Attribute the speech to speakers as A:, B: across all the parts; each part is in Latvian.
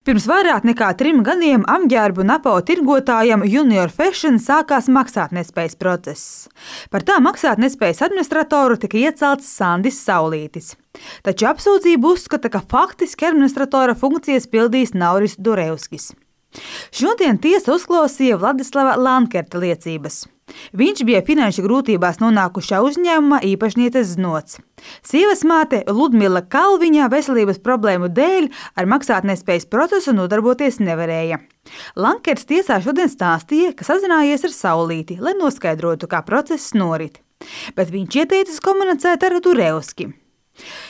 A: Pirms vairāk nekā 3 gadiem apģērbu un apavu tirgotājam Junior Fashion sākās maksātnespējas process. Par tā maksātnespējas administratoru tika iecelts Sandis Saulītis. Taču apsūdzību uzskata, ka faktiski administratora funkcijas pildīs Nauris Durevskis. Šodien tiesa uzklausīja Vladislava Lankerta liecības. Viņš bija finanšu grūtībās nonākušā uzņēmuma īpašnieces Znots. Sievas māte Ludmila Kalviņa veselības problēmu dēļ ar maksātnespējas procesu nodarboties nevarēja. Lankerts tiesā šodien stāstīja, ka sazinājies ar Saulīti, lai noskaidrotu, kā process norit. Bet viņš ieteicis komunicēt ar Durevski.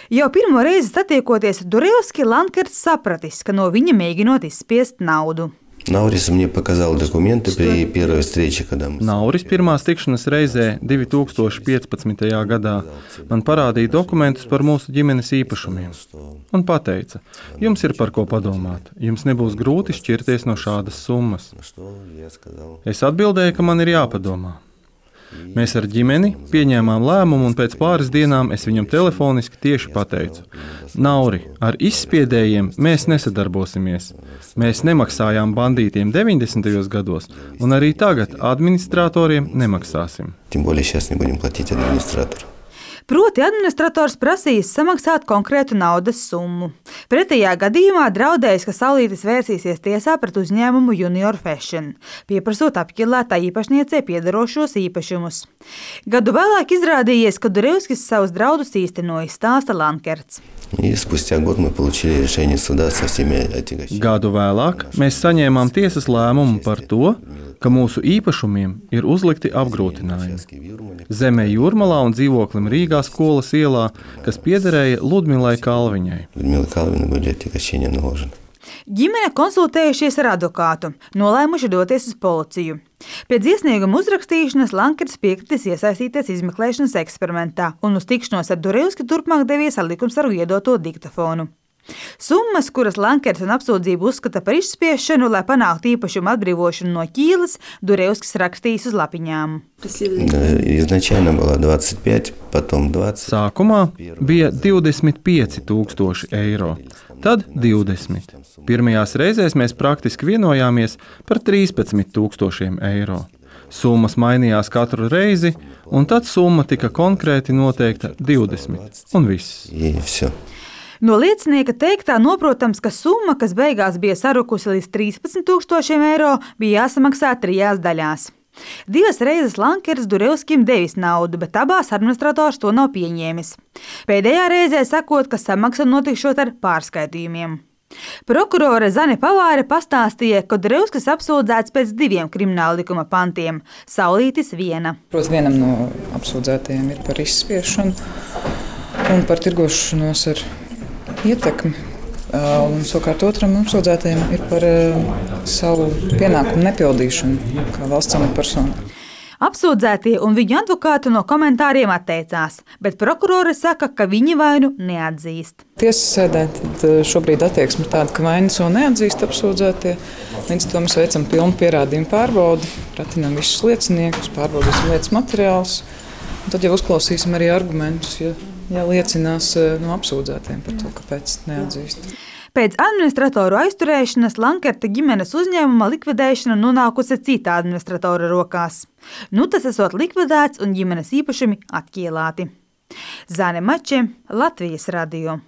A: Jau pirmo reizi satiekoties ar Durevski, Lankerts sapratis, ka no viņa mēģinot izspiest naudu.
B: Nauris мне показал документы при первой встрече, когда мы...
C: Nauris pirmās tikšanās reizē 2015. gadā man parādīja dokumentus par mūsu ģimenes īpašumiem un pateica, jums ir par ko padomāt, jums nebūs grūti šķirties no šādas summas. Es atbildēju, ka man ir jāpadomā. Mēs ar ģimeni pieņēmām lēmumu, un pēc pāris dienām es viņam telefoniski tieši pateicu: Nauri, ar izspiedējiem mēs nesadarbosimies. Mēs nemaksājām bandītiem 90. gados, un arī tagad administratoriem nemaksāsim.
B: Тем более сейчас не будем платить администратору.
A: Proti administrators prasīs samaksāt konkrētu naudas summu. Pretējā gadījumā draudējis, ka Saulītis vērsīsies tiesā pret uzņēmumu Junior Fashion, pieprasot apķilētā īpašniecei piederošos īpašumus. Gadu vēlāk izrādījies, ka Durevskis savus draudus īstenoja, stāsta Lankerts.
B: И спустя год мы получили решение суда со всеми отягощениями.
C: Gadu vēlāk mēs saņēmām tiesas lēmumu par to, ka mūsu īpašumiem ir uzlikti apgrūtinājumi. Zemē Jūrmalā un dzīvoklim Rīgā skolas ielā, kas piederēja Ludmilai Kalviņai.
B: Людмила Калвина были отягощения наложены.
A: Ģimene konsultējušies ar advokātu, nolēmuši doties uz policiju. Pēc iesnieguma uzrakstīšanas Lankerts piekritis iesaistīties izmeklēšanas eksperimentā un uz tikšanos ar Durevski turpmāk devies ar likumsargu iedoto diktafonu. Summas, kuras Lankerts un apsūdzību uzskata par izspiešanu, lai panāktu īpašumu atbrīvošanu no ķīlas, Durevskis rakstījis uz lapiņām.
B: Изначально было 25, потом 20.
C: Sākumā bija 25,000 eiro, tad 20. Pirmajās reizēs mēs praktiski vienojāmies par 13,000 eiro. Summas mainījās katru reizi, un tad summa tika konkrēti noteikta 20, un viss.
B: И все.
A: No liecinieka teiktā noprotams, ka summa, kas beigās bija sarukusi līdz 13,000 eiro, bija jāsamaksā 3 daļās. 2 reizes Lankerts Durevskim devis naudu, bet abās administrators to nav pieņēmis. Pēdējā reizē sakot, ka samaksa notikšot ar pārskaitījumiem. Prokurore Zane Pavāre pastāstīja, ka Durevskis apsūdzēts pēc 2 krimināla likuma pantiem, Saulītis viena.
D: Protams, vienam no apsūdzētajiem ir par izspiešanu un par tirgošanos ar ietekmi. Un savukārt otram apsūdzētajiem ir par savu pienākumu nepildīšanu kā valsts amatpersona.
A: Apsūdzētie un viņu advokāti no komentāriem atteicās, bet prokurore saka, ka viņi vainu neatzīst.
D: Tiesas sēdē šobrīd attieksme ir tāda, ka vainas vēl neatzīst apsūdzētie. Līdz to mēs veicam pilnu pierādījumu pārbaudi, pratinām visus lieciniekus, pārbaudīsim lietas materiālus. Un tad jau uzklausīsim arī argumentus, ja liecinās no apsūdzētiem par to, kāpēc neatzīst.
A: Pēc administratoru aizturēšanas Lankerta ģimenes uzņēmuma likvidēšana nonākusi citā administratora rokās. Nu tas esot likvidēts un ģimenes īpašumi atķielāti. Zane Mače, Latvijas radio.